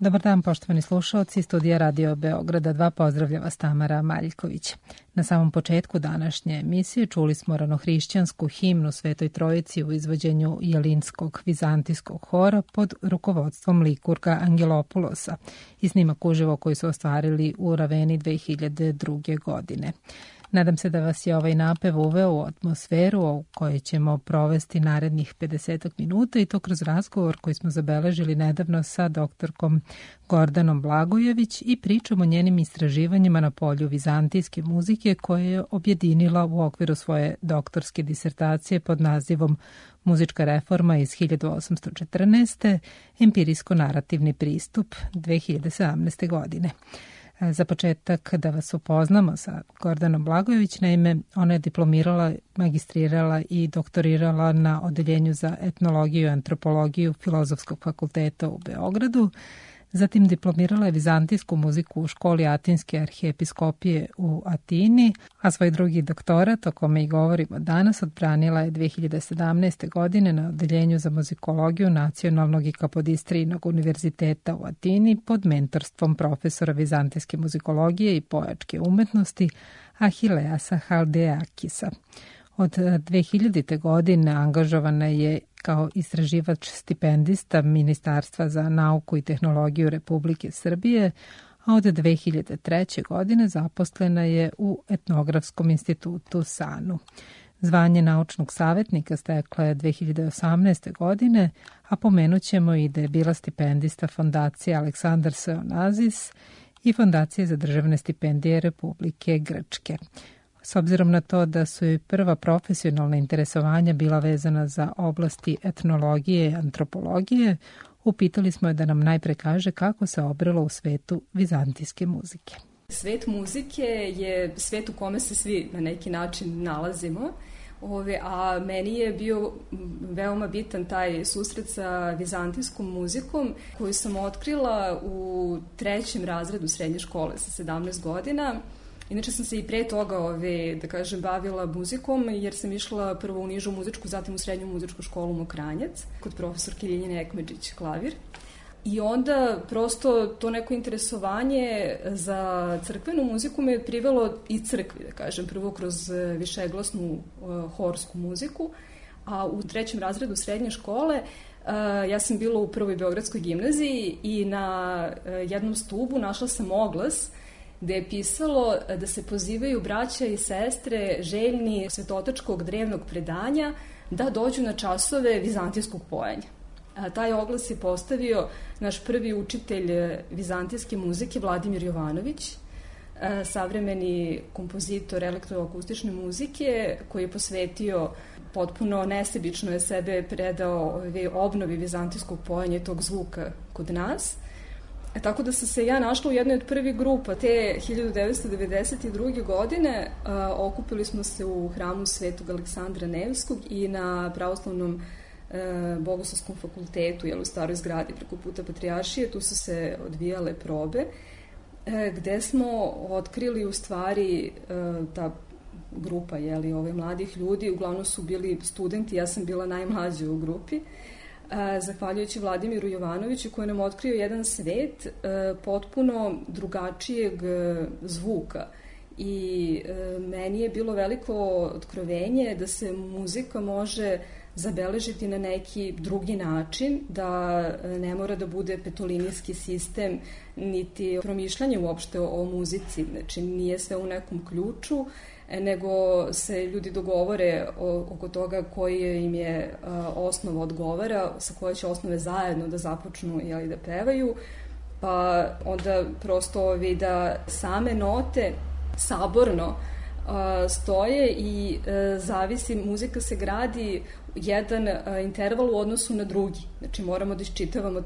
Dobar dan, poštovani slušaoci, studija Radio Beograda 2 pozdravlja vas Tamara Maljković. Na samom početku današnje emisije čuli smo ranohrišćansku himnu Svetoj Trojici u izvođenju jelinskog vizantijskog hora pod rukovodstvom likurga Angelopulosa i snimak uživo koji su ostvarili u Raveni 2002. godine. Nadam se da vas je ovaj napev uveo u atmosferu u kojoj ćemo provesti narednih 50 minuta i to kroz razgovor koji smo zabeležili nedavno sa doktorkom Gordanom Blagojević i pričom o njenim istraživanjima na polju vizantijske muzike koje je objedinila u okviru svoje doktorske disertacije pod nazivom Muzička reforma iz 1814. Empirijsko-narativni pristup 2017. godine. Za početak da vas upoznamo sa Gordanom Blagojević, naime ona je diplomirala, magistrirala i doktorirala na Odeljenju za etnologiju i antropologiju Filozofskog fakulteta u Beogradu. Zatim diplomirala je vizantijsku muziku u školi Atinske arhijepiskopije u Atini, a svoj drugi doktorat, o kome i govorimo danas, odbranila je 2017. godine na Odeljenju za muzikologiju Nacionalnog i Kapodistrijnog univerziteta u Atini pod mentorstvom profesora vizantijske muzikologije i pojačke umetnosti Ahileasa Haldeakisa. Od 2000. godine angažovana je kao istraživač stipendista Ministarstva za nauku i tehnologiju Republike Srbije, a od 2003. godine zaposlena je u Etnografskom institutu SANU. Zvanje naučnog savjetnika stekla je 2018. godine, a pomenut ćemo i da je bila stipendista Fondacije Aleksandar Seonazis i Fondacije za državne stipendije Republike Grčke. S obzirom na to da su i prva profesionalna interesovanja bila vezana za oblasti etnologije i antropologije, upitali smo je da nam najpre kaže kako se obrelo u svetu vizantijske muzike. Svet muzike je svet u kome se svi na neki način nalazimo, a meni je bio veoma bitan taj susret sa vizantijskom muzikom koju sam otkrila u 3. razredu srednje škole sa 17 godina. Inače sam se i pre toga, bavila muzikom jer sam išla prvo u nižu muzičku, zatim u srednju muzičku školu Mokranjac, kod profesorke Ljiljane Ekmedžić, klavir. I onda prosto to neko interesovanje za crkvenu muziku me je privelo i crkvi, prvo kroz višeglasnu horsku muziku, a u 3. razredu srednje škole ja sam bila u Prvoj Beogradskoj gimnaziji i na jednom stubu našla sam oglas gde je pisalo da se pozivaju braća i sestre željni svetotačkog drevnog predanja da dođu na časove vizantijskog pojenja. Taj oglas je postavio naš prvi učitelj vizantijske muzike Vladimir Jovanović, savremeni kompozitor elektroakustične muzike koji je posvetio potpuno nesebično je sebe predao obnovi vizantijskog pojenja i tog zvuka kod nas. Tako da sam se ja našla u jednoj od prvih grupa. Te 1992. godine okupili smo se u hramu Svetog Aleksandra Nevskog i na Pravoslavnom Bogoslovskom fakultetu, u staroj zgradi preko puta Patrijaršije. Tu su se odvijale probe, gde smo otkrili u stvari ta grupa mladih ljudi, uglavnom su bili studenti, ja sam bila najmlađa u grupi, zahvaljujući Vladimiru Jovanoviću koji nam otkrio jedan svet potpuno drugačijeg zvuka. I meni je bilo veliko otkrovenje da se muzika može zabeležiti na neki drugi način, da ne mora da bude petolinijski sistem, niti promišljanje uopšte o muzici, znači nije sve u nekom ključu, nego se ljudi dogovore oko toga koji im je osnova odgovara, sa koje će osnove zajedno da započnu da pevaju, pa onda prosto da same note saborno stoje i zavisi, muzika se gradi jedan interval u odnosu na drugi. Znači moramo da iščitavamo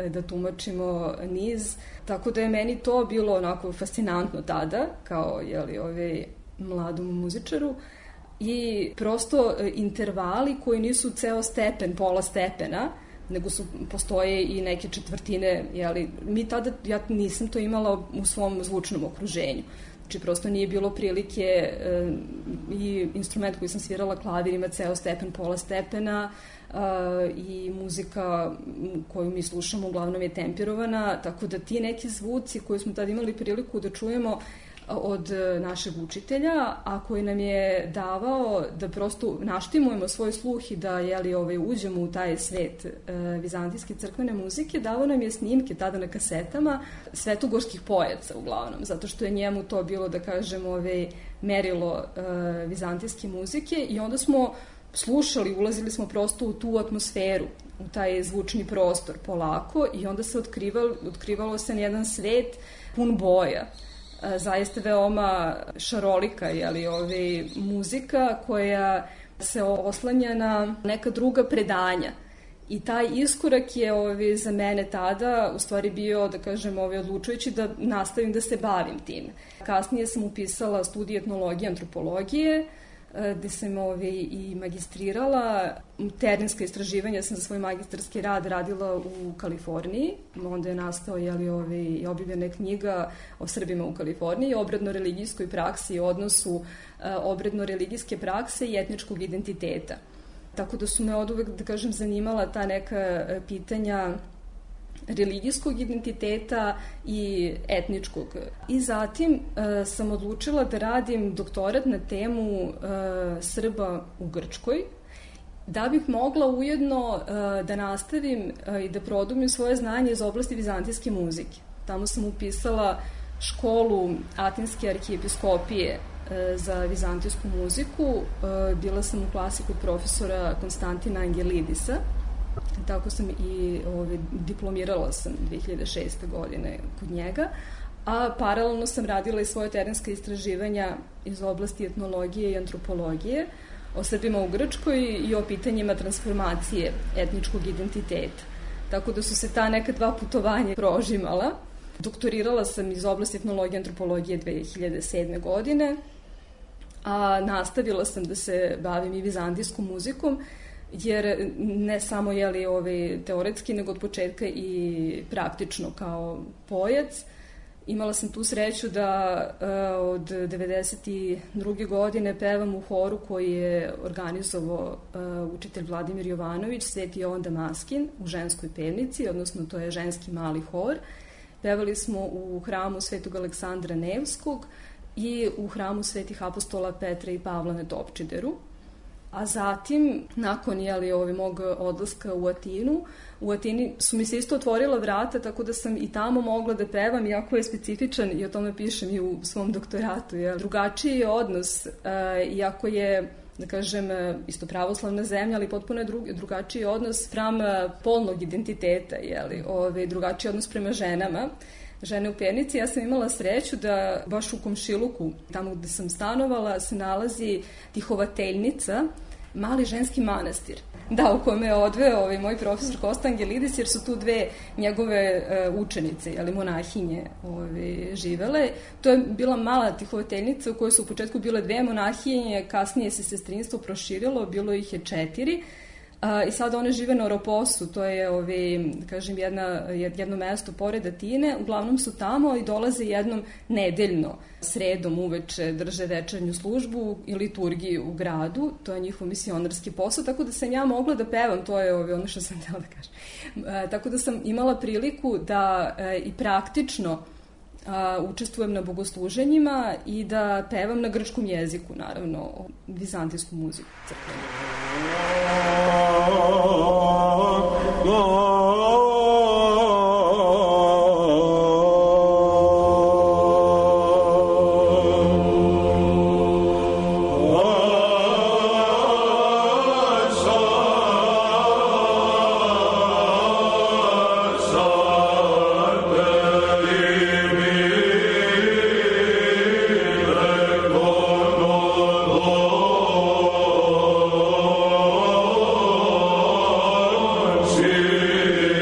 da tumačimo niz. Tako da je meni to bilo onako fascinantno tada, kao mladom muzičaru. I prosto intervali koji nisu ceo stepen, pola stepena, nego postoje i neke četvrtine, mi tada, ja nisam to imala u svom zvučnom okruženju. Znači, prosto nije bilo prilike i instrument koji sam svirala, klavir, ima ceo stepen, pola stepena i muzika koju mi slušamo uglavnom je tempirovana, tako da ti neki zvuci koje smo tad imali priliku da čujemo od našeg učitelja, a koji nam je davao da prosto naštimujemo svoj sluh i da uđemo u taj svet vizantijske crkvene muzike, davao nam je snimke tada na kasetama svetogorskih pojaca uglavnom, zato što je njemu to bilo, da kažem, merilo vizantijske muzike i onda smo slušali, ulazili smo prosto u tu atmosferu, u taj zvučni prostor polako i onda se otkrivalo se jedan svet pun boja. Zaista veoma šarolika muzika koja se oslanja na neka druga predanja. I taj iskorak je za mene tada u stvari bio, da kažem, odlučujući da nastavim da se bavim tim. Kasnije sam upisala studij etnologije i antropologije, gde sam i magistrirala. Terenska istraživanja sam za svoj magistarski rad radila u Kaliforniji. Onda je nastao i objavljena knjiga o Srbima u Kaliforniji, obredno-religijskoj praksi i odnosu obredno-religijske prakse i etničkog identiteta. Tako da su me oduvek, da kažem, zanimala ta neka pitanja religijskog identiteta i etničkog. I zatim sam odlučila da radim doktorat na temu Srba u Grčkoj, da bih mogla ujedno da nastavim i da produbim svoje znanje iz oblasti vizantijske muzike. Tamo sam upisala školu Atinske arhijepiskopije za vizantijsku muziku. Bila sam u klasi kod profesora Konstantina Angelidisa. Tako sam i diplomirala sam 2006. godine kod njega, a paralelno sam radila i svoje terenska istraživanja iz oblasti etnologije i antropologije o Srbima u Grčkoj i o pitanjima transformacije etničkog identiteta. Tako da su se ta neka dva putovanja prožimala. Doktorirala sam iz oblasti etnologije i antropologije 2007. godine, a nastavila sam da se bavim i vizantijskom muzikom, jer ne samo teoretski, nego od početka i praktično kao pojac. Imala sam tu sreću da od 92. godine pevam u horu koji je organizovao učitelj Vladimir Jovanović, Sveti Jovan Damaskin, u ženskoj pevnici, odnosno to je ženski mali hor. Pevali smo u hramu Svetog Aleksandra Nevskog i u hramu Svetih apostola Petra i Pavla na Topčideru. A zatim, nakon mog odlaska u Atinu, u Atini su mi se isto otvorila vrata, tako da sam i tamo mogla da pevam, iako je specifičan, i o tome pišem i u svom doktoratu. Drugačiji je odnos, iako je, da kažem, isto pravoslavna zemlja, ali potpuno je drugačiji odnos spram polnog identiteta, drugačiji odnos prema ženama. Žene u Pernici. Ja sam imala sreću da baš u komšiluku, tamo gde sam stanovala, se nalazi Tihovateljnica, mali ženski manastir. Da, u kome je odveo moj profesor Kosta Angelidis, jer su tu dve njegove učenice, monahinje živele. To je bila mala Tihovateljnica u kojoj su u početku bile dve monahinje, kasnije se sestrinstvo proširilo, bilo ih je 4. I sad one žive na Oroposu, to je, kažem, jedno mesto pored Atine. Uglavnom su tamo i dolaze jednom nedeljno, sredom uveče, drže večernju službu i liturgiju u gradu. To je njihov misionarski posao, tako da sam ja mogla da pevam, to je ono što sam htjela da kažem. Tako da sam imala priliku da i praktično učestvujem na bogosluženjima i da pevam na grčkom jeziku, naravno, vizantijsku muziku crkvenu. See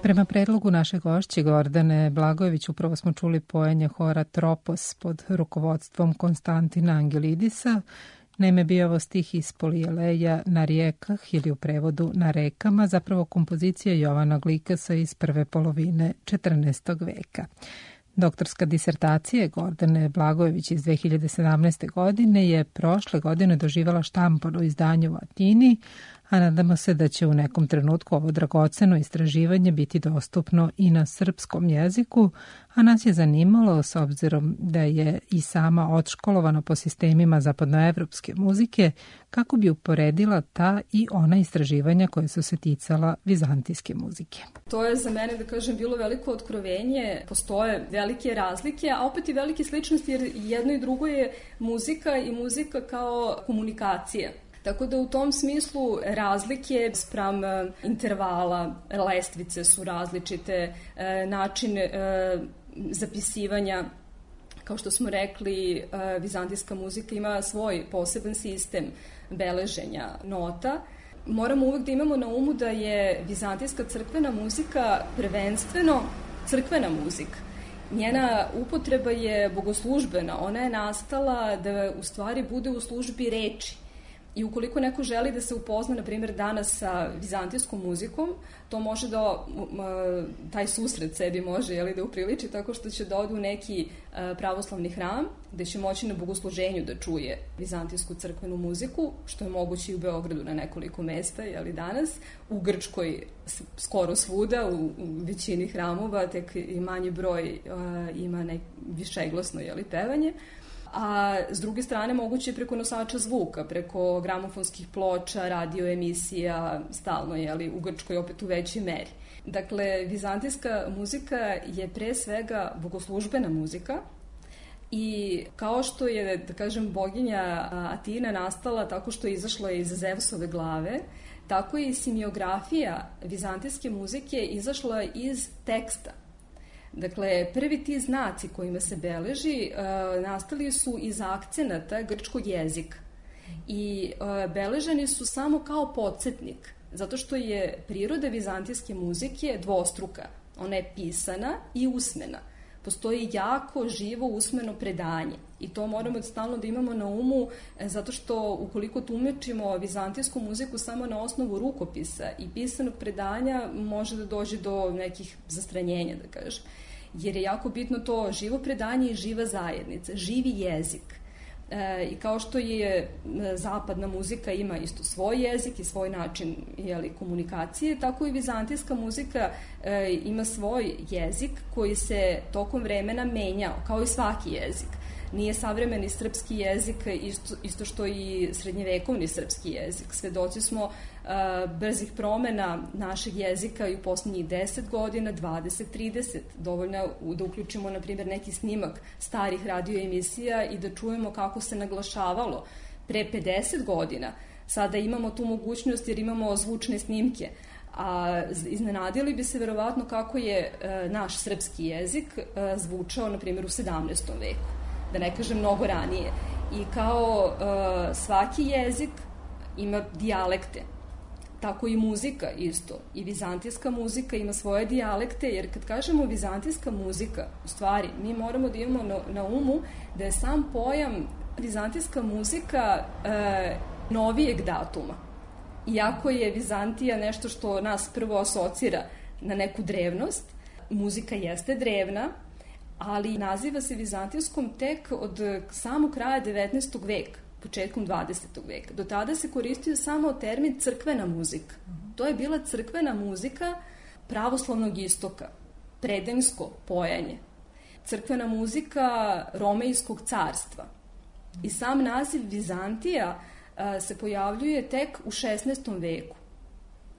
Prema predlogu naše gošće Gordane Blagojević upravo smo čuli pojenje hora Tropos pod rukovodstvom Konstantina Angelidisa. Naime, bio ovo stih iz Polijeleja na rijekah ili u prevodu na rekama, zapravo kompozicija Jovana Glikasa iz prve polovine 14. veka. Doktorska disertacija Gordane Blagojević iz 2017. godine je prošle godine doživala štampano izdanje u Atini, a nadamo se da će u nekom trenutku ovo dragoceno istraživanje biti dostupno i na srpskom jeziku, a nas je zanimalo, s obzirom da je i sama odškolovana po sistemima zapadnoevropske muzike, kako bi uporedila ta i ona istraživanja koje su se ticala vizantijske muzike. To je za mene, da kažem, bilo veliko otkrovenje. Postoje velike razlike, a opet i velike sličnosti, jer jedno i drugo je muzika i muzika kao komunikacija. Tako da u tom smislu razlike spram intervala, lestvice su različite, način zapisivanja, kao što smo rekli, vizantijska muzika ima svoj poseban sistem beleženja nota. Moramo uvek da imamo na umu da je vizantijska crkvena muzika prvenstveno crkvena muzika. Njena upotreba je bogoslužbena, ona je nastala da u stvari bude u službi reči. I ukoliko neko želi da se upozna, na primjer, danas sa vizantijskom muzikom, to može da, taj susret sebi može da upriliči tako što će da ode u neki pravoslavni hram, gde će moći na bogosluženju da čuje vizantijsku crkvenu muziku, što je moguće i u Beogradu na nekoliko mesta, danas, u Grčkoj skoro svuda, u većini hramova, tek i manji broj ima višeglasno pevanje. A s druge strane moguće je preko nosača zvuka, preko gramofonskih ploča, radio emisija, stalno u Grčkoj opet u većoj meri. Dakle, vizantijska muzika je pre svega bogoslužbena muzika i kao što je, da kažem, boginja Atina nastala tako što je izašla iz Zevsove glave, tako i simiografija vizantijske muzike izašla iz teksta. Dakle, prvi ti znaci kojima se beleži nastali su iz akcenata grčkog jezika i beleženi su samo kao podsjetnik, zato što je priroda vizantijske muzike dvostruka. Ona je pisana i usmena. Postoji jako živo usmeno predanje i to moramo stalno da imamo na umu, zato što ukoliko tumačimo vizantijsku muziku samo na osnovu rukopisa i pisanog predanja, može da dođe do nekih zastranjenja, da kažem. Jer je jako bitno to živo predanje i živa zajednica, živi jezik. I kao što je zapadna muzika ima isto svoj jezik i svoj način komunikacije, tako i vizantijska muzika ima svoj jezik koji se tokom vremena menjao, kao i svaki jezik. Nije savremeni srpski jezik isto što i srednjevekovni srpski jezik. Svedoci smo brzih promena našeg jezika i u poslednjih 10 godina, 20, 30. Dovoljno da uključimo, na primjer, neki snimak starih radioemisija i da čujemo kako se naglašavalo pre 50 godina. Sada imamo tu mogućnost jer imamo zvučne snimke. A iznenadili bi se verovatno kako je naš srpski jezik zvučao, na primjer, u 17. veku. Da ne kažem mnogo ranije. I kao svaki jezik ima dijalekte, tako i muzika isto. I vizantijska muzika ima svoje dijalekte, jer kad kažemo vizantijska muzika, u stvari, mi moramo da imamo na umu da je sam pojam vizantijska muzika novijeg datuma. Iako je Vizantija nešto što nas prvo asocira na neku drevnost, muzika jeste drevna, ali naziva se vizantijskom tek od samog kraja 19. veka, početkom 20. veka. Do tada se koristio samo termin crkvena muzika. To je bila crkvena muzika pravoslavnog istoka, predenjsko pojanje. Crkvena muzika Romejskog carstva. I sam naziv Vizantija se pojavljuje tek u 16. veku.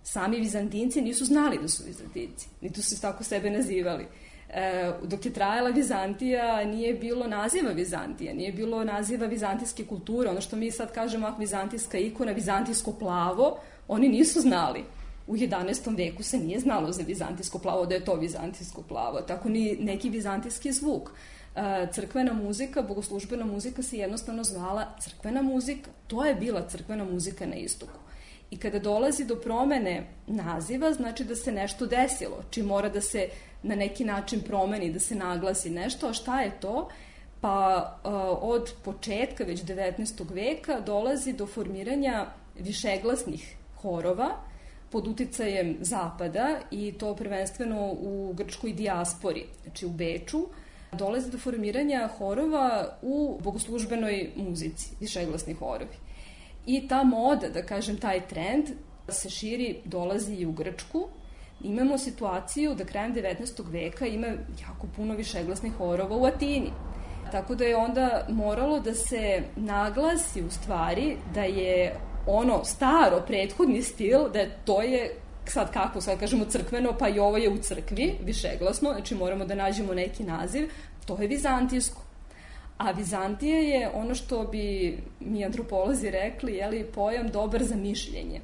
Sami Vizantinci nisu znali da su Vizantinci, niti su tako sebe nazivali. Dok je trajala Vizantija, nije bilo naziva Vizantija, nije bilo naziva vizantijske kulture. Ono što mi sad kažemo, vizantijska ikona, vizantijsko plavo, oni nisu znali. U 11. veku se nije znalo za vizantijsko plavo, da je to vizantijsko plavo, tako ni neki vizantijski zvuk. Crkvena muzika, bogoslužbena muzika se jednostavno zvala crkvena muzika. To je bila crkvena muzika na istoku. I kada dolazi do promene naziva, znači da se nešto desilo, čim mora da se na neki način promeni, da se naglasi nešto. A šta je to? Pa od početka već 19. veka dolazi do formiranja višeglasnih horova pod uticajem Zapada i to prvenstveno u grčkoj dijaspori, znači u Beču. Dolazi do formiranja horova u bogoslužbenoj muzici, višeglasni horovi. I ta moda, da kažem, taj trend se širi, dolazi i u Grčku. Imamo situaciju da krajem 19. veka ima jako puno višeglasnih horova u Atini. Tako da je onda moralo da se naglasi u stvari da je ono staro, prethodni stil, da to je sad kako, sad kažemo crkveno, pa i ovo je u crkvi, višeglasno, znači moramo da nađemo neki naziv, to je vizantijsko. A Vizantija je ono što bi mi antropolozi rekli, pojam dobar za mišljenje.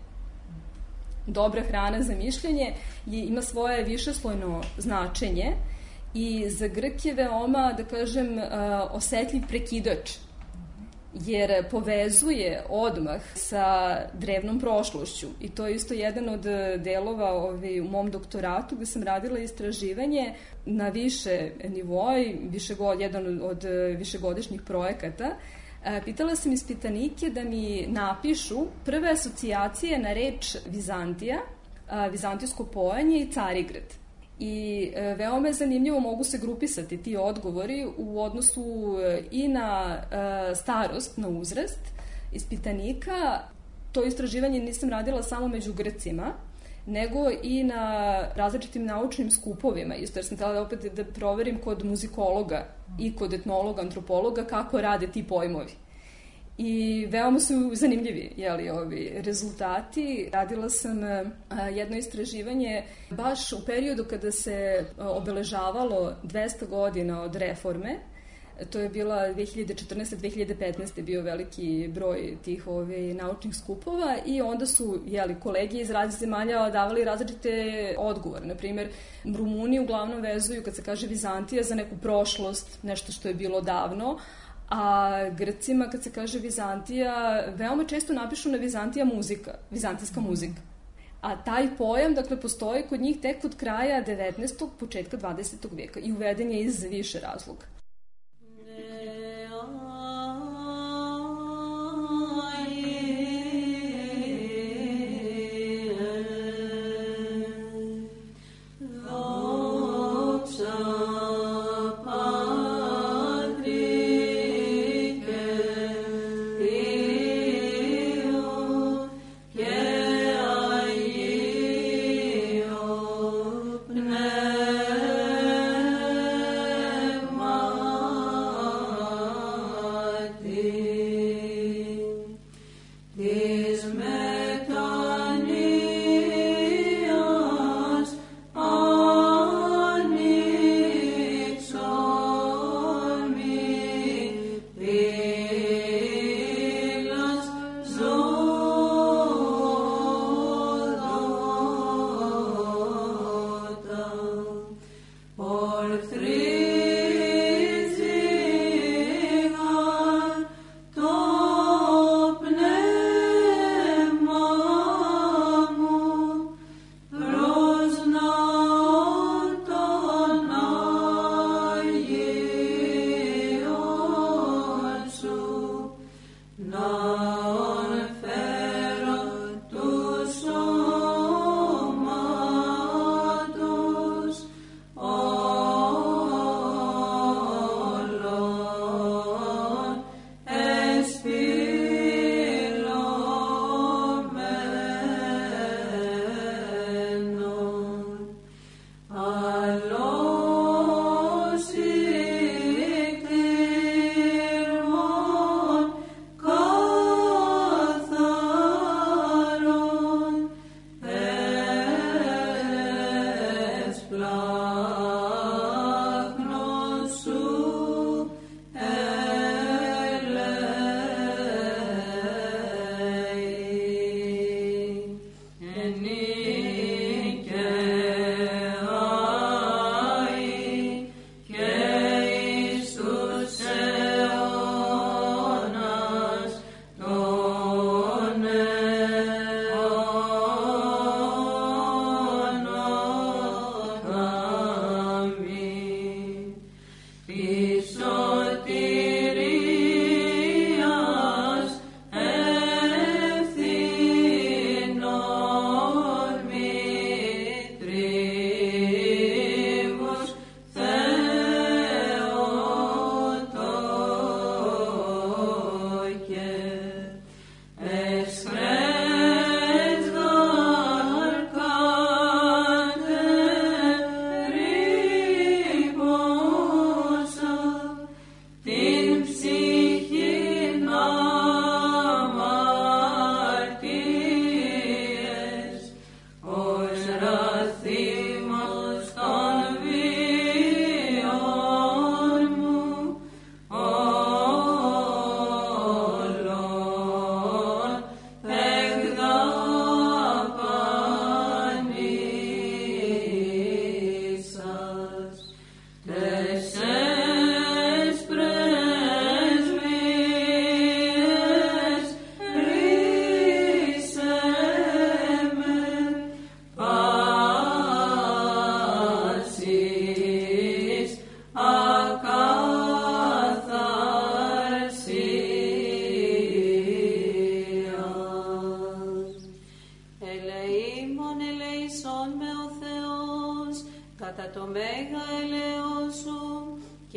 Dobra hrana za mišljenje ima svoje višeslojno značenje i za Grk je veoma, da kažem, osetljiv prekidač, jer povezuje odmah sa drevnom prošlošću. I to je isto jedan od delova u mom doktoratu gde sam radila istraživanje na više nivoa, jedan od višegodišnjih projekata. Pitala sam ispitanike da mi napišu prve asocijacije na reč Vizantija, vizantijsko pojanje i Carigrad. I veoma je zanimljivo, mogu se grupisati ti odgovori u odnosu i na starost, na uzrast ispitanika. To istraživanje nisam radila samo među Grcima, nego i na različitim naučnim skupovima. Isto jer sam htjela opet da proverim kod muzikologa i kod etnologa, antropologa kako rade ti pojmovi. I veoma su zanimljivi ovi rezultati. Radila sam jedno istraživanje baš u periodu kada se obeležavalo 200 godina od reforme. To je bila 2014-2015. bio veliki broj tih naučnih skupova i onda su kolege iz različitih zemalja davali različite odgovore. Naprimjer, Rumuni uglavnom vezuju kad se kaže Vizantija za neku prošlost, nešto što je bilo davno, a Grcima kad se kaže Vizantija veoma često napišu na Vizantija muzika, vizantijska muzika. A taj pojam, postoji kod njih tek od kraja 19. početka 20. veka i uveden je iz više razloga.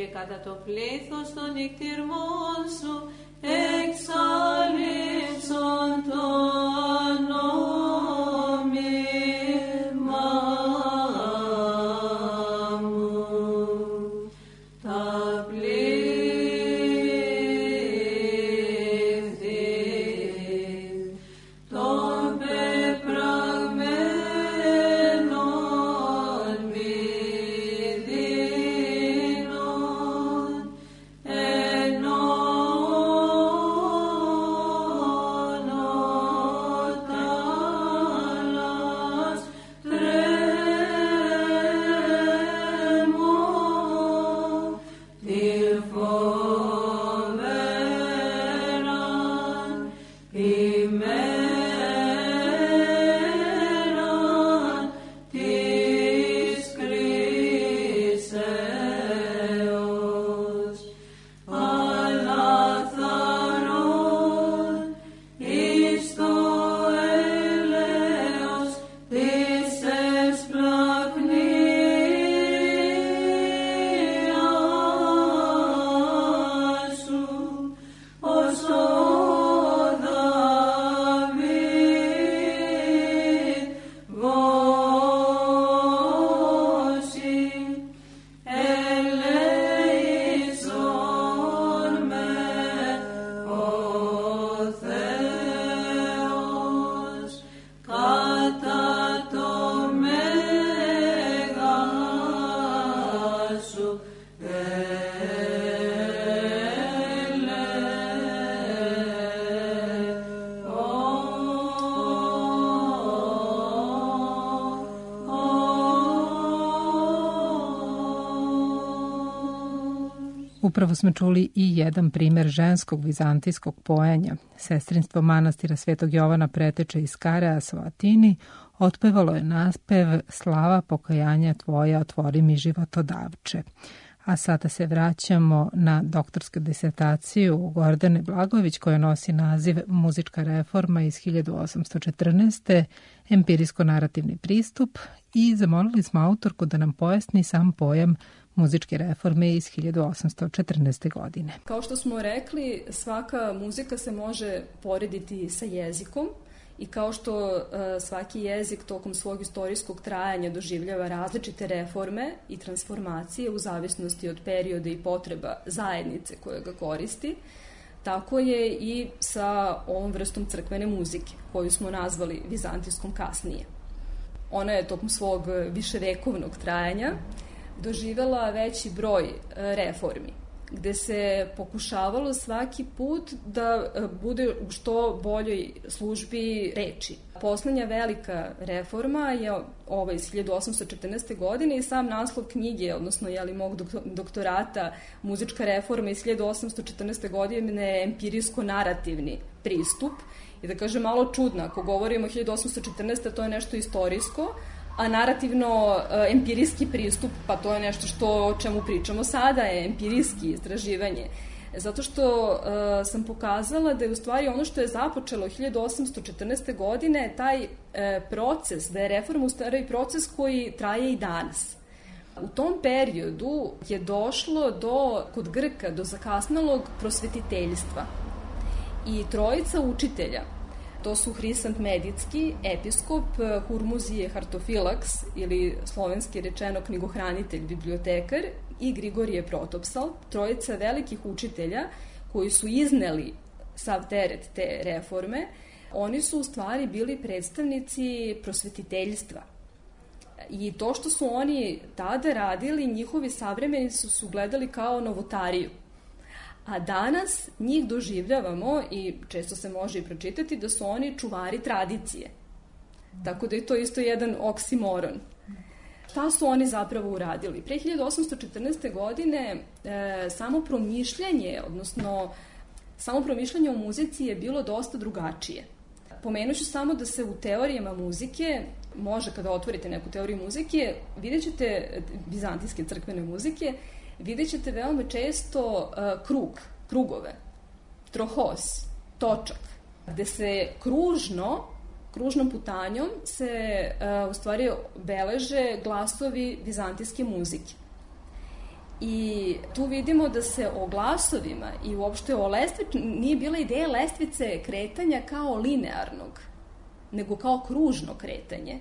και κατά το πλήθος των νυχτηρμών σου εξαλείψον το νόμιμα μου. Τα πλήθη των πεπραγμένων μη δίνουν ενώνοντας τρέμω τη φοβέραν ημέραν της κρίσεως, αλαθαρών εις το έλεος της εσπλαχνίας σου, ως ο Δαβίδ βώσει, ελέησον με ο Θεός κατά το μέγα σου Upravo smo čuli i jedan primer ženskog vizantijskog poenja. Sestrinstvo manastira Svetog Jovana Preteče iz Kareasa u Atini otpevalo je naspev Slava pokajanja tvoja, otvori mi životodavče. A sada se vraćamo na doktorsku disertaciju Gordane Blagojević koja nosi naziv Muzička reforma iz 1814. empirijsko-narativni pristup i zamolili smo autorku da nam pojasni sam pojam muzičke reforme iz 1814. godine. Kao što smo rekli, svaka muzika se može porediti sa jezikom i kao što svaki jezik tokom svog istorijskog trajanja doživljava različite reforme i transformacije u zavisnosti od perioda i potreba zajednice koja ga koristi, tako je i sa ovom vrstom crkvene muzike, koju smo nazvali vizantijskom kasnije. Ona je tokom svog viševekovnog trajanja doživela veći broj reformi, gde se pokušavalo svaki put da bude u što boljoj službi reči. Poslednja velika reforma je ova iz 1814. godine i sam naslov knjige, odnosno mog doktorata Muzička reforma iz 1814. godine je empirijsko-narativni pristup. I da kažem malo čudno, ako govorimo o 1814. to je nešto istorijsko, a narativno-empirijski pristup, pa to je nešto o čemu pričamo sada, je empirijski istraživanje. Zato što sam pokazala da je u stvari ono što je započelo 1814. godine taj proces, da je reforma u stvari proces koji traje i danas. U tom periodu je došlo kod Grka do zakasnelog prosvetiteljstva i trojica učitelja, to su Hrisant Medicki, episkop, Hurmuzije Hartofilaks ili slovenski rečeno knjigohranitelj, bibliotekar i Grigorije Protopsal, trojica velikih učitelja koji su izneli sav teret te reforme. Oni su u stvari bili predstavnici prosvetiteljstva. I to što su oni tada radili, njihovi savremenici su gledali kao novotariju. A danas njih doživljavamo i često se može i pročitati da su oni čuvari tradicije. Tako da je to isto jedan oksimoron. Šta su oni zapravo uradili? Pre 1814. godine samo promišljanje o muzici je bilo dosta drugačije. Pomenuću samo da se u teorijama muzike, može kada otvorite neku teoriju muzike, vidjet ćete vizantijske crkvene muzike, vidjet ćete veoma često krugove, trohos, točak, gde se kružnom putanjom se u stvari beleže glasovi vizantijske muzike. I tu vidimo da se o glasovima i uopšte o lestvici, nije bila ideja lestvice kretanja kao linearnog, nego kao kružno kretanje,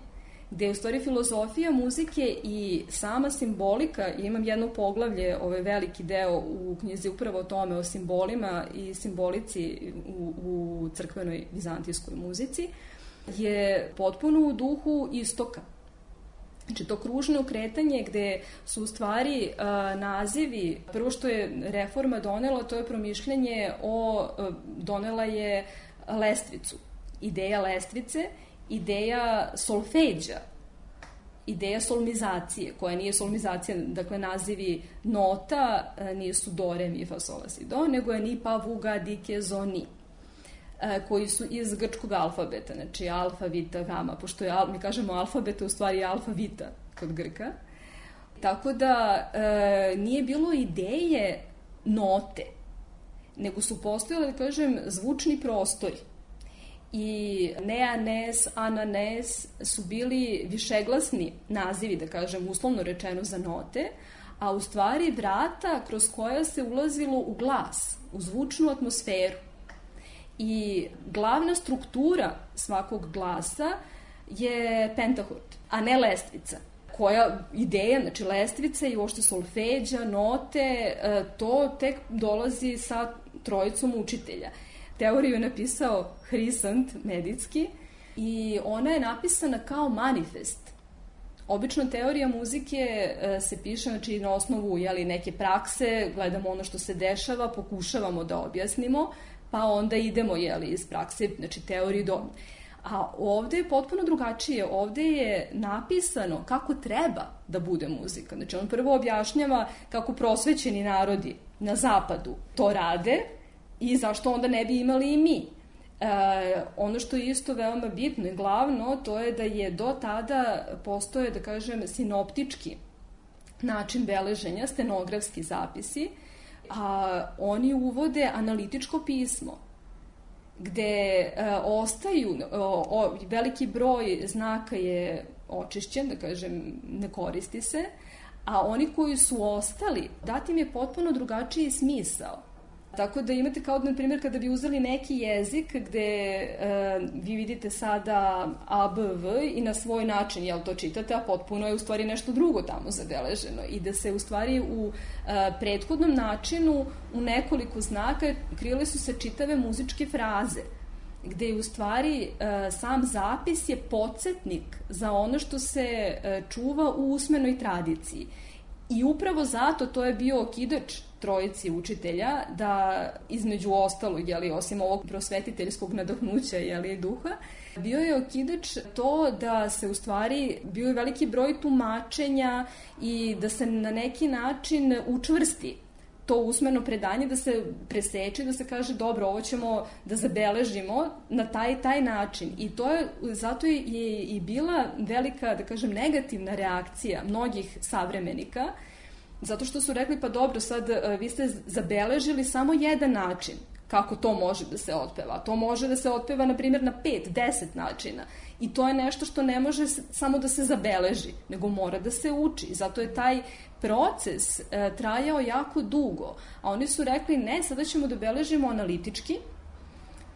gde je u stvari filozofija muzike i sama simbolika, i imam jedno poglavlje, ovaj veliki deo u knjizi upravo o tome, o simbolima i simbolici u crkvenoj vizantijskoj muzici, je potpuno u duhu istoka. Znači, to kružno kretanje gde su u stvari nazivi, prvo što je reforma donela, to je promišljanje donela je lestvicu. Ideja lestvice, ideja solfeđa, ideja solmizacije, koja nije solmizacija, dakle nazivi nota nisu do, re, mi, fa, sol, la, si, do, nego je ni, pa, vu, ga, di, ke, zo, ni, koji su iz grčkog alfabeta, znači alfa, vita, gama, pošto je, mi kažemo alfabeta, u stvari je alfa, vita kod Grka. Tako da nije bilo ideje note, nego su postojali, da kažem, zvučni prostori. I neanes, ananes su bili višeglasni nazivi, da kažem, uslovno rečeno za note, a u stvari vrata kroz koja se ulazilo u glas, u zvučnu atmosferu. I glavna struktura svakog glasa je pentahord, a ne lestvica. Koja ideja, znači lestvica i uopšte solfeđa, note, to tek dolazi sa trojicom učitelja. Teoriju je napisao Hrisant Medicki i ona je napisana kao manifest. Obično teorija muzike se piše, znači, na osnovu neke prakse, gledamo ono što se dešava, pokušavamo da objasnimo, pa onda idemo iz prakse, znači teoriji do... A ovde je potpuno drugačije. Ovde je napisano kako treba da bude muzika. Znači, on prvo objašnjava kako prosvećeni narodi na zapadu to rade i zašto onda ne bi imali i mi. Ono što je isto veoma bitno i glavno, to je da je do tada postoje, da kažem, sinoptički način beleženja, stenografski zapisi, a oni uvode analitičko pismo, gde ostaju, veliki broj znaka je očišćen, da kažem, ne koristi se, a oni koji su ostali, dat im je potpuno drugačiji smisao. Tako da imate kao, na primjer, kada bi uzeli neki jezik gde vi vidite sada A, B, V i na svoj način, to čitate, a potpuno je u stvari nešto drugo tamo zabeleženo i da se u stvari u prethodnom načinu u nekoliko znaka krile su se čitave muzičke fraze, gde je u stvari sam zapis je podsjetnik za ono što se čuva u usmenoj tradiciji. I upravo zato to je bio okidač trojici učitelja da između ostalog, osim ovog prosvetiteljskog nadahnuća duha, bio je okidač to da se u stvari bio je veliki broj tumačenja i da se na neki način učvrsti to usmeno predanje, da se preseče, da se kaže dobro, ovo ćemo da zabeležimo na taj način. I to je, zato je i bila velika, da kažem, negativna reakcija mnogih savremenika, zato što su rekli, pa dobro, sad vi ste zabeležili samo jedan način kako to može da se otpeva. To može da se otpeva, na primjer, na 5-10 načina. I to je nešto što ne može samo da se zabeleži, nego mora da se uči. I zato je taj proces trajao jako dugo. A oni su rekli, ne, sada ćemo da beležimo analitički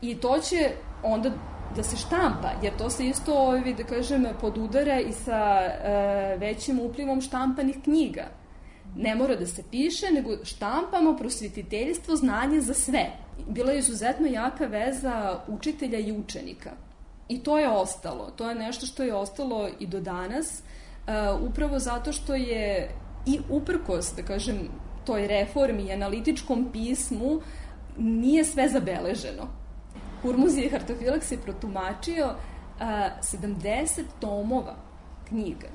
i to će onda da se štampa, jer to se isto, da kažem, podudara i sa većim uplivom štampanih knjiga. Ne mora da se piše, nego štampamo prosvetiteljstvo, znanje za sve. Bila je izuzetno jaka veza učitelja i učenika. I to je ostalo. To je nešto što je ostalo i do danas, upravo zato što je i uprkos, da kažem, toj reformi i analitičkom pismu nije sve zabeleženo. Hurmuzije Hartofilaks je protumačio 70 tomova knjiga.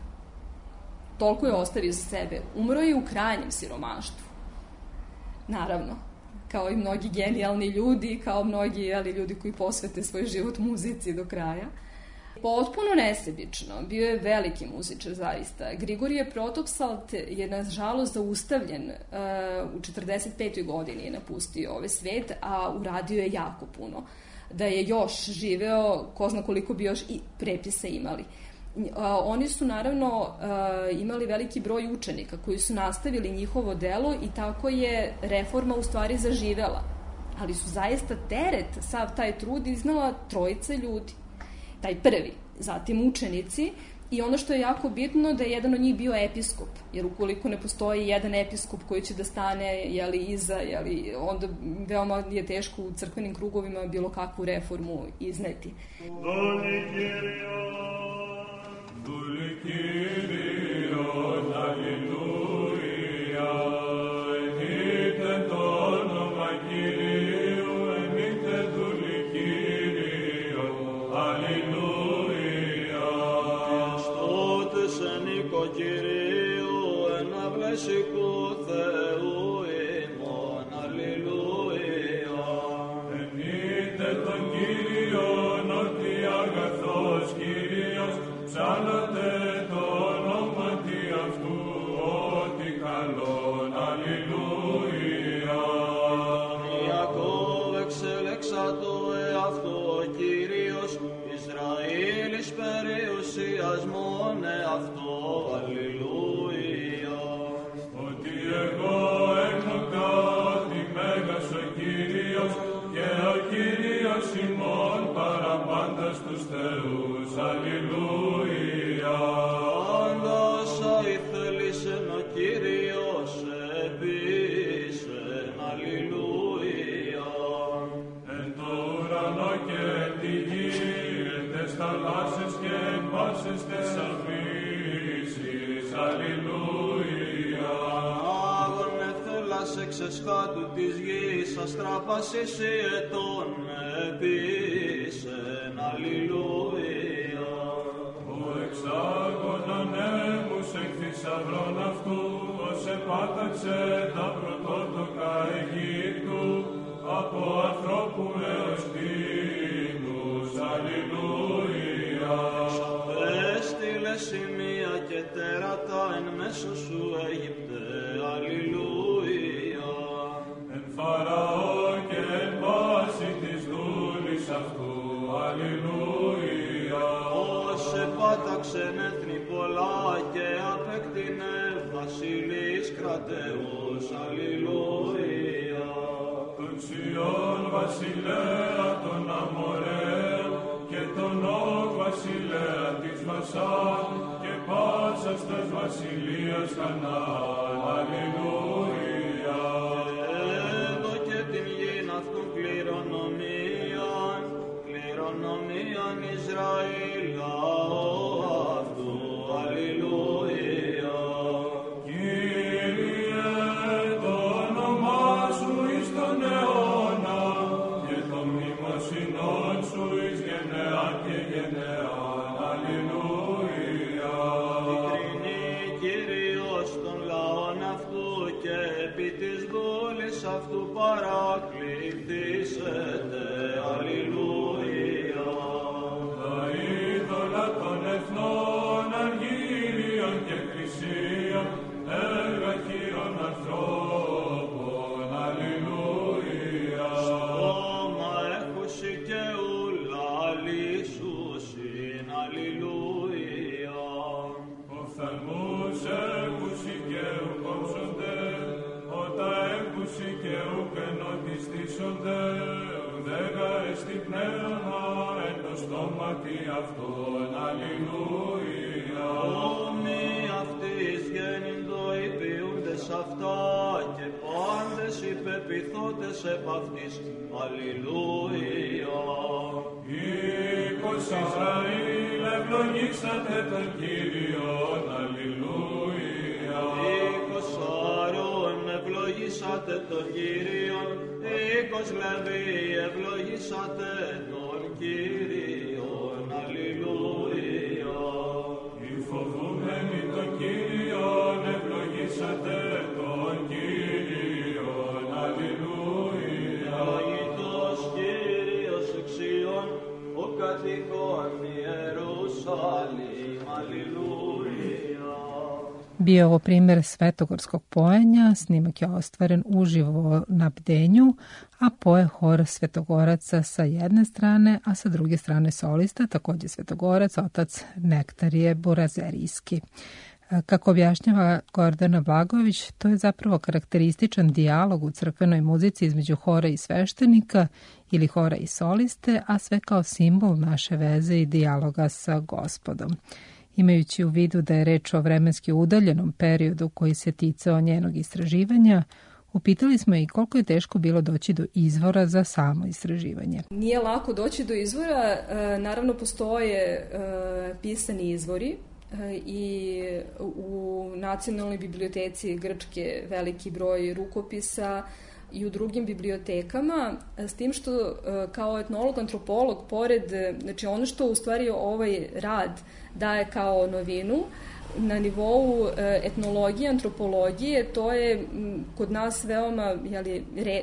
Toliko je ostavio za sebe. Umro je u krajnjem siromaštvu. Naravno, kao i mnogi genijalni ljudi, kao mnogi ljudi koji posvete svoj život muzici do kraja. Potpuno nesebično. Bio je veliki muzičar, zaista. Grigorije Protopsalt je, nažalost, zaustavljen u 45. godini, je napustio ovaj svet, a uradio je jako puno. Da je još živeo, ko zna koliko bi još i prepisa imali. Oni su naravno imali veliki broj učenika koji su nastavili njihovo delo i tako je reforma u stvari zaživela. Ali su zaista teret, sav taj trud iznala trojica ljudi. Taj prvi, zatim učenici, i ono što je jako bitno da je jedan od njih bio episkop, jer ukoliko ne postoji jedan episkop koji će da stane iza, onda veoma je teško u crkvenim krugovima bilo kakvu reformu izneti. Εξεσχάτου της γης αστράπασης η ετών επίσεν, αλληλούια. Ο εξάγωνον έμους εκ θησαυρών αυτού, ως επάταξε τα πρωτότοκα Αιγύπτου, από ανθρώπου έως κτήνους, αλληλούια. Έστειλε σημεία και τέρατα εν μέσω σου Αίγυπτε, αλληλούια. Φαραώ και εν πάση της δούλης αυτού, αλληλούια. Ως επάταξεν έθνη πολλά και απέκτηνε βασιλείς κρατεούς, αλληλούια. Τον Σιών βασιλέα των Αμοραίων και τον Όγ βασιλέα της Βασάν και πάσας τας βασιλείας Χαναάν, αλληλούια. Κληρονομίαν Ισραήλ λαό αυτού, αλληλούια. Κύριε, το όνομά σου εις τον αιώνα και το μνημοσυνόν σου εις γενεάν και γενεάν, αλληλούια. Ειλικρινή Κύριος των λαών αυτού και επί της δούλης αυτού παρακληθήσετε, αλληλούια. Τα είδωλα των εθνών αργύριων και κρυσίων, έργα χείρων ανθρώπων, αλληλούια. Στόμα έχουσι και ούλα λύσουσιν, αλληλούια. Οφθαλμούς έχουσι και ουκόψονται, ότα έχουσι και ουκενοτιστήσονται, ουδέγα εστι πνεύμα εν το στόματι αυτόν, αλληλούια. Όμοι αυτής γέννητο υπηούντες αυτά και πάντες υπεπιθώτες επ' αυτής, αλληλούια. Οίκος Ισραήλ ευλογήσατε τον Κύριον, αλληλούια. Οίκος Αρών ευλογήσατε τον Κύριον, οίκος Λεβί ευλογήσατε τον Κύριον, αλληλούια. Οι φοβούμενοι τον Κύριον ευλογήσατε τον Κύριον, αλληλούια. Ευλογητός Κύριος εξιών, ο κατοικών Ιερουσαλήμ, αλληλούια. Bio je ovo primjer svetogorskog pojenja, snimak je ostvaren uživo na Bdenju, a poje hor svetogoraca sa jedne strane, a sa druge strane solista, također svetogorac, otac Nektarije Burazerijski. Kako objašnjava Gordana Blagojević, to je zapravo karakterističan dijalog u crkvenoj muzici između hora i sveštenika ili hora i soliste, a sve kao simbol naše veze i dijaloga sa Gospodom. Imajući u vidu da je reč o vremenski udaljenom periodu koji se ticao njenog istraživanja, upitali smo i koliko je teško bilo doći do izvora za samo istraživanje. Nije lako doći do izvora, naravno postoje pisani izvori i u Nacionalnoj biblioteci Grčke veliki broj rukopisa i u drugim bibliotekama, s tim što kao etnolog, antropolog, pored, znači ono što u stvari ovaj rad daje kao novinu, na nivou etnologije, antropologije, to je kod nas veoma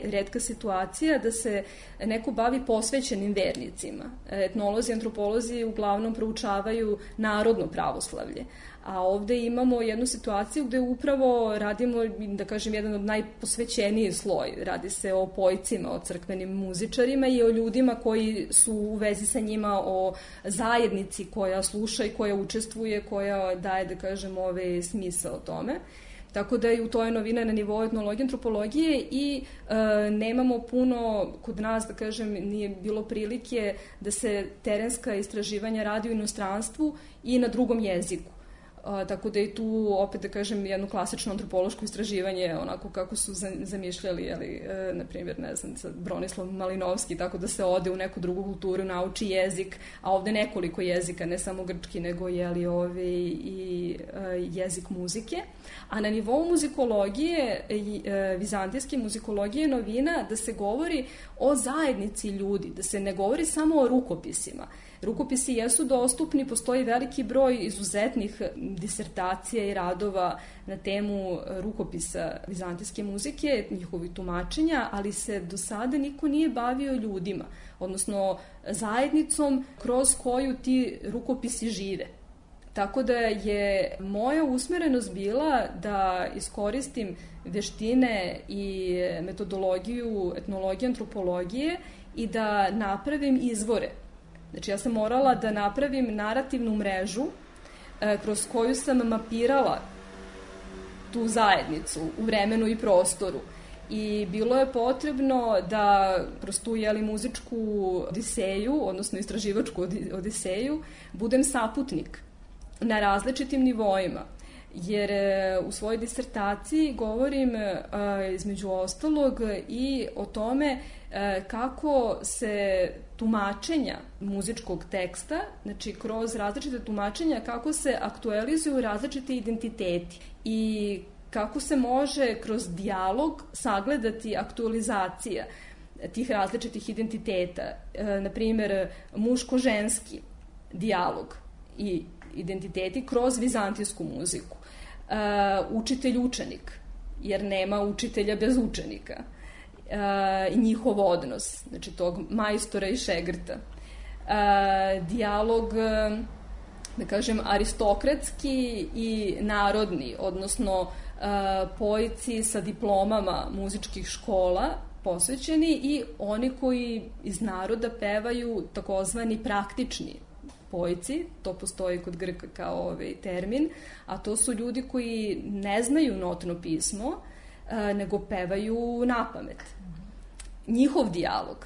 retka situacija da se neko bavi posvećenim vernicima. Etnolozi, antropolozi uglavnom proučavaju narodno pravoslavlje. A ovde imamo jednu situaciju gde upravo radimo, da kažem, jedan od najposvećeniji sloj. Radi se o pojcima, o crkvenim muzičarima i o ljudima koji su u vezi sa njima, o zajednici koja sluša i koja učestvuje, koja daje, da kažem, smisao o tome. Tako da i u toj novina na nivou etnologije, antropologije i nemamo puno, kod nas, da kažem, nije bilo prilike da se terenska istraživanja radi u inostranstvu i na drugom jeziku. Tako da je tu, opet da kažem, jedno klasično antropološko istraživanje, onako kako su zamišljali, na primjer, ne znam, Bronislav Malinovski, tako da se ode u neku drugu kulturu, nauči jezik, a ovde nekoliko jezika, ne samo grčki, nego i jezik muzike. A na nivou muzikologije, vizantijske muzikologije, novina da se govori o zajednici ljudi, da se ne govori samo o rukopisima. Rukopisi jesu dostupni, postoji veliki broj izuzetnih disertacija i radova na temu rukopisa vizantijske muzike, njihovih tumačenja, ali se do sada niko nije bavio ljudima, odnosno zajednicom kroz koju ti rukopisi žive. Tako da je moja usmerenost bila da iskoristim veštine i metodologiju etnologije, antropologije i da napravim izvore. Znači ja sam morala da napravim narativnu mrežu kroz koju sam mapirala tu zajednicu u vremenu i prostoru. I bilo je potrebno da kroz tu muzičku odiseju, odnosno istraživačku odiseju, budem saputnik na različitim nivoima. Jer u svojoj disertaciji govorim između ostalog i o tome kako se tumačenja muzičkog teksta, znači kroz različite tumačenja, kako se aktualizuju različiti identiteti i kako se može kroz dijalog sagledati aktualizacija tih različitih identiteta. Na primjer, muško-ženski dijalog i identiteti kroz vizantijsku muziku. Učitelj-učenik, jer nema učitelja bez učenika. I njihov odnos, znači tog majstora i šegrta. Dijalog, da kažem, aristokratski i narodni, odnosno pojici sa diplomama muzičkih škola posvećeni i oni koji iz naroda pevaju takozvani praktični pojici, to postoji kod Grka kao termin, a to su ljudi koji ne znaju notno pismo, nego pevaju napamet. Njihov dijalog.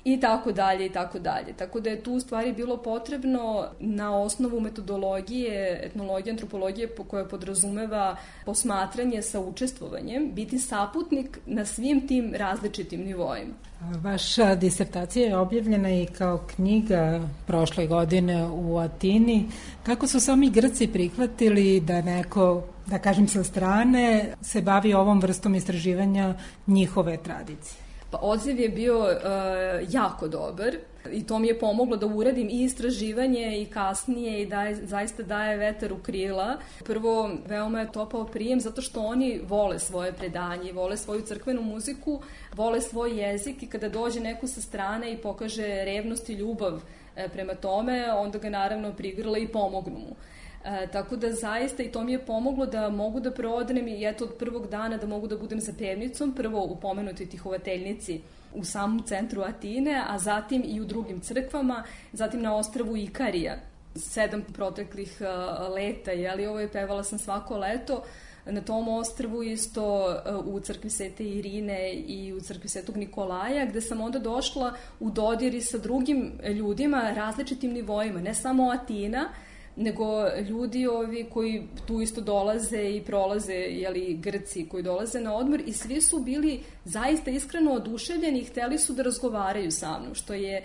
I tako dalje, i tako dalje. Tako da je tu u stvari bilo potrebno na osnovu metodologije, etnologije, antropologije koja podrazumeva posmatranje sa učestvovanjem, biti saputnik na svim tim različitim nivoima. Vaša disertacija je objavljena i kao knjiga prošle godine u Atini. Kako su sami Grci prihvatili da neko, da kažem sa strane, se bavi ovom vrstom istraživanja njihove tradicije? Pa odziv je bio jako dobar i to mi je pomoglo da uradim i istraživanje i kasnije i zaista daje vetar u krila. Prvo, veoma je topao prijem zato što oni vole svoje predanje, vole svoju crkvenu muziku, vole svoj jezik i kada dođe neko sa strane i pokaže revnost i ljubav prema tome, onda ga naravno prigrle i pomognu mu. Tako da zaista i to mi je pomoglo da mogu da prodnem i eto od prvog dana da mogu da budem za pevnicom, prvo u pomenutoj Tihovateljnici u samom centru Atine, a zatim i u drugim crkvama, zatim na ostrvu Ikarija. 7 proteklih leta, pevala sam svako leto na tom ostrvu, isto u crkvi Svete Irine i u crkvi Svetog Nikolaja, gde sam onda došla u dodir sa drugim ljudima, različitim nivoima, ne samo Atina, nego ljudi koji tu isto dolaze i prolaze, Grci koji dolaze na odmor, i svi su bili zaista iskreno oduševljeni i hteli su da razgovaraju sa mnom, što je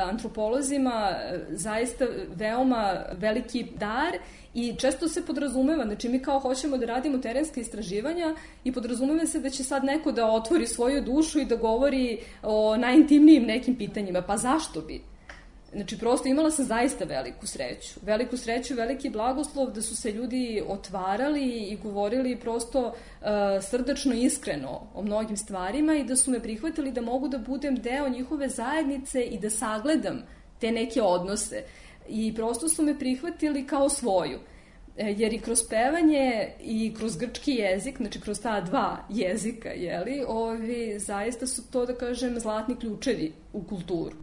antropolozima zaista veoma veliki dar i često se podrazumeva, znači mi kao hoćemo da radimo terenske istraživanja i podrazumeva se da će sad neko da otvori svoju dušu i da govori o najintimnijim nekim pitanjima, pa zašto bi? Znači, prosto imala sam zaista veliku sreću, veliki blagoslov da su se ljudi otvarali i govorili prosto srdačno, iskreno o mnogim stvarima i da su me prihvatili da mogu da budem deo njihove zajednice i da sagledam te neke odnose. I prosto su me prihvatili kao svoju. Jer i kroz pevanje i kroz grčki jezik, znači kroz ta 2 jezika, zaista su to, da kažem, zlatni ključevi u kulturu.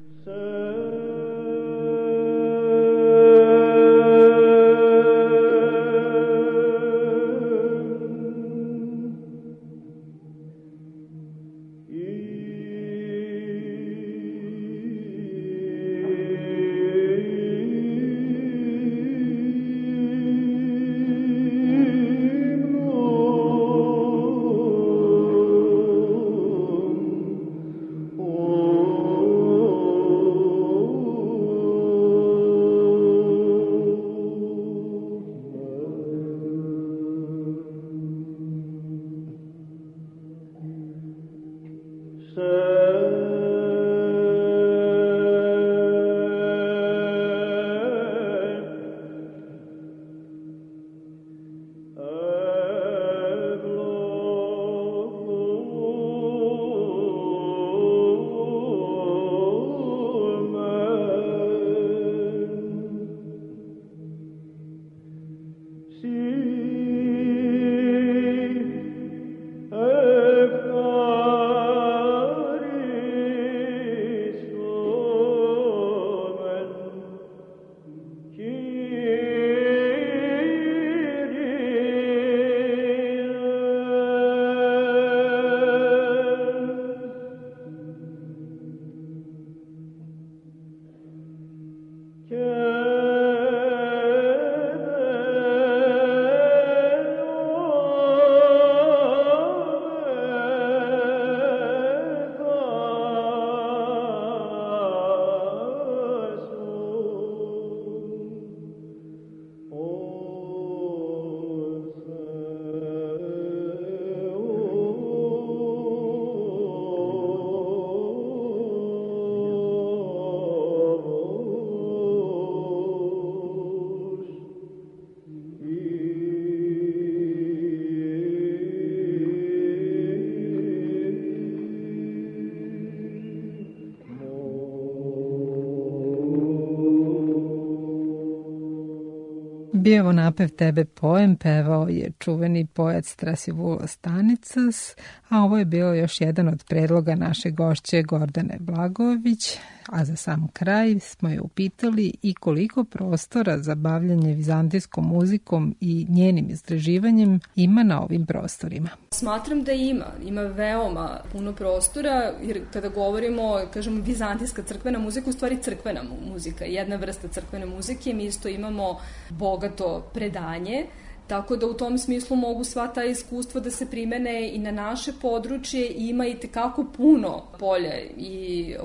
Bio je napev Tebe poem, pevao je čuveni poet Strasivula Stanicas, a ovo je bio još jedan od predloga naše gošće Gordane Blagojević, a za sam kraj smo je upitali i koliko prostora za bavljanje vizantijskom muzikom i njenim istraživanjem ima na ovim prostorima. Smatram da ima veoma puno prostora, jer kada govorimo, kažemo, vizantijska crkvena muzika, u stvari crkvena muzika, jedna vrsta crkvene muzike, mi isto imamo bogato predanje, tako da u tom smislu mogu sva ta iskustva da se primene i na naše područje i ima i tekako puno polja i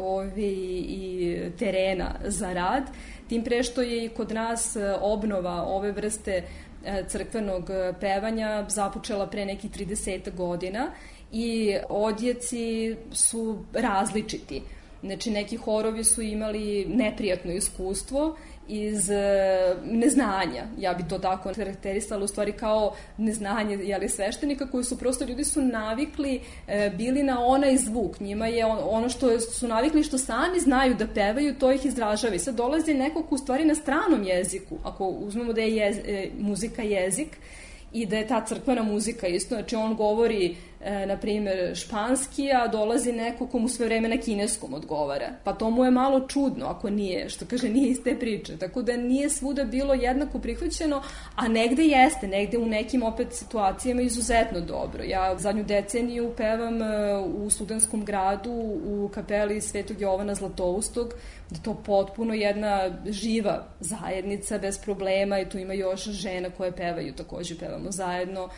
terena za rad, tim pre što je i kod nas obnova ove vrste crkvenog pevanja započela pre nekih 30 godina i odjeci su različiti. Znači, neki horovi su imali neprijatno iskustvo iz neznanja, ja bi to tako karakterisala, u stvari kao neznanje sveštenika, koji su prosto, ljudi su navikli, bili na onaj zvuk, njima je ono što su navikli, što sami znaju da pevaju, to ih izražava. I sad dolazi neko ko u stvari na stranom jeziku, ako uzmemo da je muzika jezik, i da je ta crkvena muzika isto, znači on govori, na primjer, španski, a dolazi neko ko mu sve vreme na kineskom odgovara. Pa to mu je malo čudno, ako nije, što kaže, nije iz te priče. Tako da nije svuda bilo jednako prihvaćeno, a negde jeste, negde u nekim opet situacijama izuzetno dobro. Ja zadnju deceniju pevam u Studentskom gradu, u kapeli Svetog Jovana Zlatoustog, da to potpuno jedna živa zajednica bez problema, i tu ima još žena koje pevaju, takođe pevamo zajedno,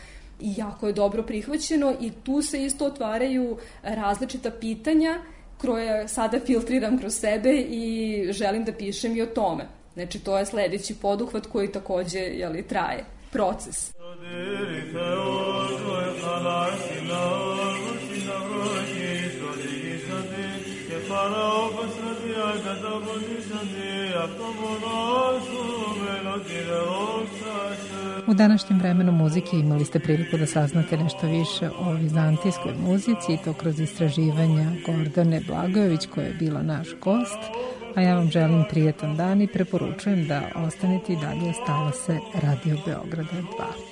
i jako je dobro prihvaćeno, i tu se isto otvaraju različita pitanja koje sada filtriram kroz sebe i želim da pišem i o tome. Znači, to je sledeći poduhvat koji takođe traje. Proces. U današnjem vremenu muzike imali ste priliku da saznate nešto više o vizantijskoj muzici, i to kroz istraživanja Gordane Blagojević, koja je bila naš gost, a ja vam želim prijetan dan i preporučujem da ostanete i dalje uz talase Radio Beograda 2.